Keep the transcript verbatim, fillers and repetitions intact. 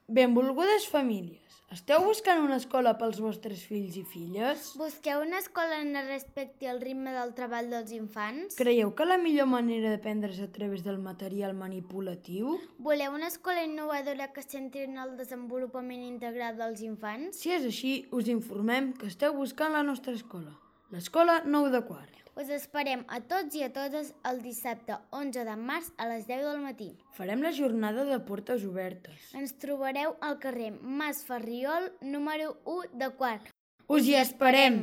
Benvolgudes famílies, esteu buscant una escola pels vostres fills i filles? Busqueu una escola on es respecti el ritme del treball dels infants? Creieu que la millor manera d'aprendre és a través del material manipulatiu? Voleu una escola innovadora que es centri en el desenvolupament integral dels infants? Si és així, us informem que esteu buscant la nostra escola, l'escola nou de quart. Us esperem a tots i a totes el dissabte onze de març a les deu del matí. Farem la jornada de portes obertes. Ens trobareu al carrer Mas Ferriol, número u de Quart. Us hi esperem!